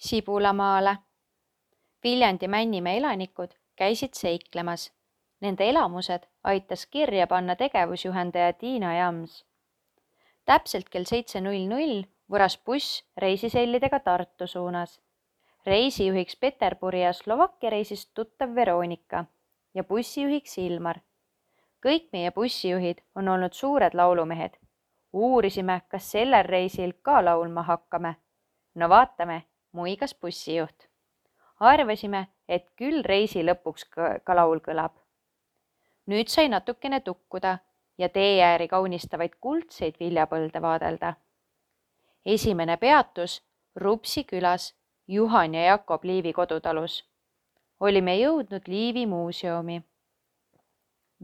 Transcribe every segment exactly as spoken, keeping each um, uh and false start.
Sibulamaale. Viljandi Männimäe elanikud käisid seiklemas. Nende elamused aitas kirja panna tegevusjuhendaja Tiina Jams. Täpselt kell seitse null null vuras buss reisisellidega Tartu suunas. Reisijuhiks Peterburi ja Slovakkia reisist tuttav Veronika ja bussijuhiks Ilmar. Kõik meie bussijuhid on olnud suured laulumehed. Uurisime, kas sellel reisil ka laulma hakkame. No vaatame, muigas bussijuht. Arvasime, et küll reisi lõpuks ka laul kõlab. Nüüd sai natukene tukkuda ja teeääri kaunistavaid kuldseid viljapõlde vaadelda. Esimene peatus Rupsi külas Juhan ja Jakob Liivi kodutalus. Olime jõudnud Liivi muuseumi.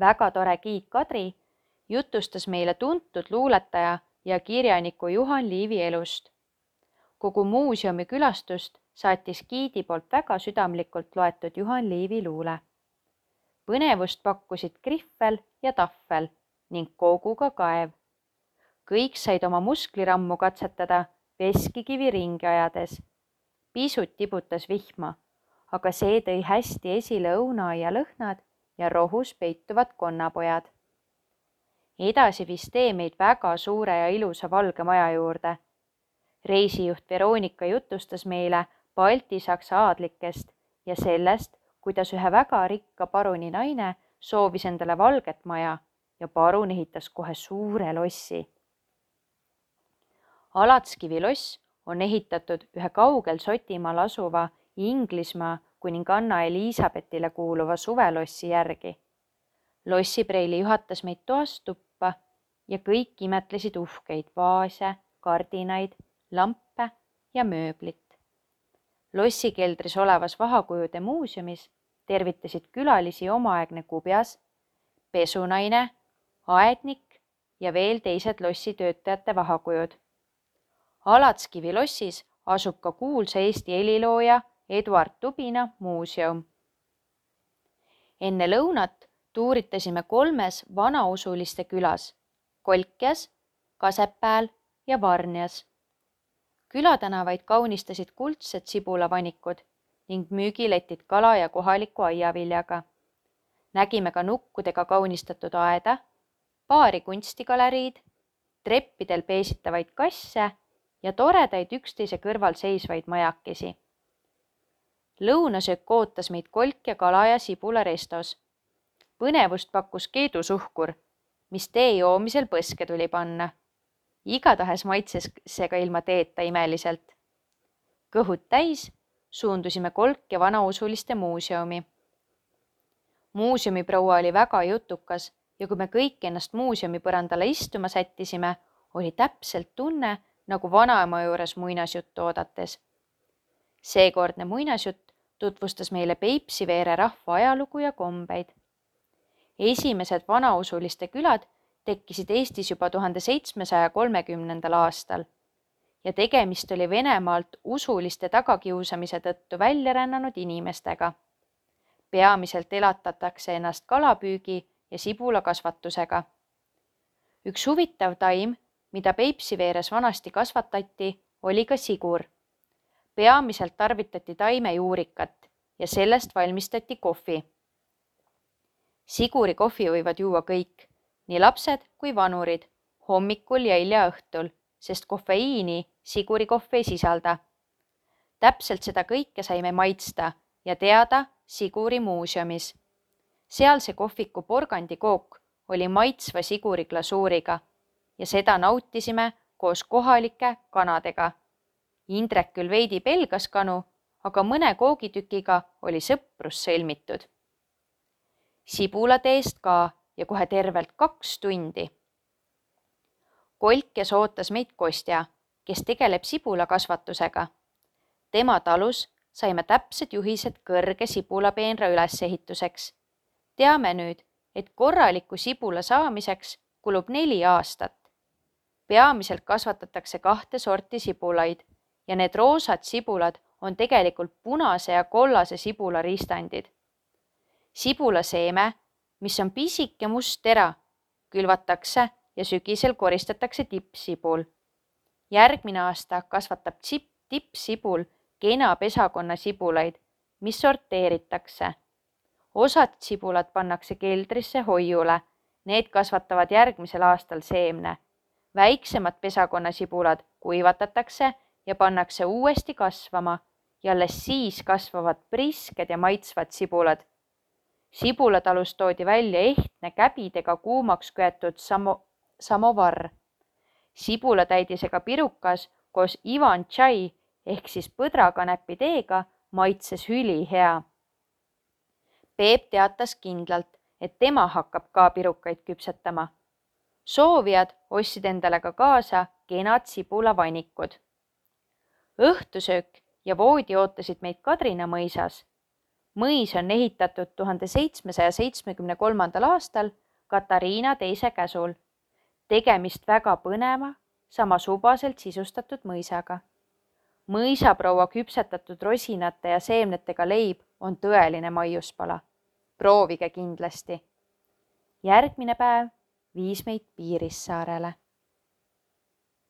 Väga tore Giid Kadri jutustas meile tuntud luuletaja ja kirjaniku Juhan Liivi elust. Kogu muuseumi külastust saatis Giidi poolt väga südamlikult loetud Juhan Liivi luule. Põnevust pakkusid Krihvel ja Tahvel ning Kooguga kaev. Kõik said oma musklirammu katsetada veskikivi ringi ajades. Pisut tibutas vihma, aga see tõi hästi esile õunaaia lõhnad ja rohus peituvad konnapojad. Edasi viis tee meid väga suure ja ilusa valge maja juurde. Reisijuht Veronika jutustas meile Balti-Saksa aadlikest ja sellest, kuidas ühe väga rikka paruni naine soovis endale valget maja ja parun ehitas kohe suure lossi. Alatskivi loss on ehitatud ühe kaugel Sotimaal asuva Inglismaa kuninganna Elisabethile kuuluva suvelossi järgi. Lossipreili juhatas meid toast tuppa ja kõik imetlesid uhkeid vaase, kardinaid, lampe ja mööblit. Lossikeldris olevas vahakujude muuseumis tervitasid külalisi omaaegne kubjas, pesunaine, aednik ja veel teised lossitöötajate vahakujud. Alatskivi lossis asub ka kuulsa Eesti helilooja Eduard Tubina muuseum. Enne lõunat tuuritasime kolmes vanausuliste külas, Kolkjas, Kasepääl ja Varnjas. Külatänavaid kaunistasid kuldsed sibulavanikud ning müügiletid kala ja kohaliku aiaviljaga. Nägime ka nukkudega kaunistatud aeda, paari kunstigaleriid, treppidel peesitavaid kasse ja toredaid üksteise kõrval seisvaid majakesi. Lõunasöök ootas meid kolk ja kala ja sibula restos. Põnevust pakkus keedusuhkur, mis tee joomisel põske tuli panna. Igatahes maitses see ka ilma teeta imeliselt. Kõhud täis suundusime kolk ja vanausuliste muuseumi. Muuseumiproua oli väga jutukas ja kui me kõik ennast muuseumi põrandale istuma sättisime, oli täpselt tunne nagu vanaema juures muinasjuttu oodates. Seekordne muinasjutt tutvustas meile Peipsiveere rahva ajalugu ja kombeid. Esimesed vanausuliste külad tekkisid Eestis juba tuhande seitsmesaja kolmekümnendal aastal ja tegemist oli Venemaalt usuliste tagakiusamise tõttu välja rännanud inimestega. Peamiselt elatatakse ennast kalapüügi ja sibulakasvatusega. Üks huvitav taim, mida Peipsiveeres vanasti kasvatati, oli ka sigur. Peamiselt tarvitati taimejuurikat ja sellest valmistati kohvi. Siguri kohvi võivad juua kõik, nii lapsed kui vanurid, hommikul ja hilja õhtul, sest kofeiini siguri kohv ei sisalda. Täpselt seda kõike saime maitsta ja teada Siguri muuseumis. Sealse kohviku porgandikook oli maitsva siguri glasuuriga ja seda nautisime koos kohalike kanadega. Indrek küll veidi pelgas kanu, aga mõne koogitükiga oli sõprus sõlmitud. Sibulateest ka ja kohe tervelt kaks tundi. Kolkjas ootas meid Kostja, kes tegeleb sibulakasvatusega. Tema talus saime täpsed juhised kõrge sibulapeenra ülesehituseks. Teame nüüd, et korraliku sibula saamiseks kulub neli aastat. Peamiselt kasvatatakse kahte sorti sibulaid ja need roosad sibulad on tegelikult punase ja kollase sibula riistandid. Sibulaseeme, mis on pisike must tera, külvatakse ja sügisel koristatakse tippsibul. Järgmine aasta kasvatab tippsibul kena pesakonna sibulaid, mis sorteeritakse. Osad sibulad pannakse keldrisse hoiule, need kasvatavad järgmisel aastal seemne. Väiksemad pesakonna sibulad kuivatatakse ja pannakse uuesti kasvama ja alles siis kasvavad prisked ja maitsvad sibulad. Sibulatalust toodi välja ehtne käbidega kuumaks köetud samo, samovar. Sibulatäidisega pirukas koos Ivan tšai ehk siis põdrakanepi teega maitses ülihea. Peep teatas kindlalt, et tema hakkab ka pirukaid küpsetama. Soovijad ostsid endale ka kaasa kenad sibulavanikud. Õhtusöök ja voodi ootasid meid Kadrina mõisas. Mõis on ehitatud tuhande seitsmesaja seitsmekümne kolmandal aastal Katariina teise käsul. Tegemist väga põneva, samas ubaselt sisustatud mõisaga. Mõisaproua küpsetatud rosinate ja seemnetega leib on tõeline maiuspala. Proovige kindlasti. Järgmine päev viis meid Piirissaarele.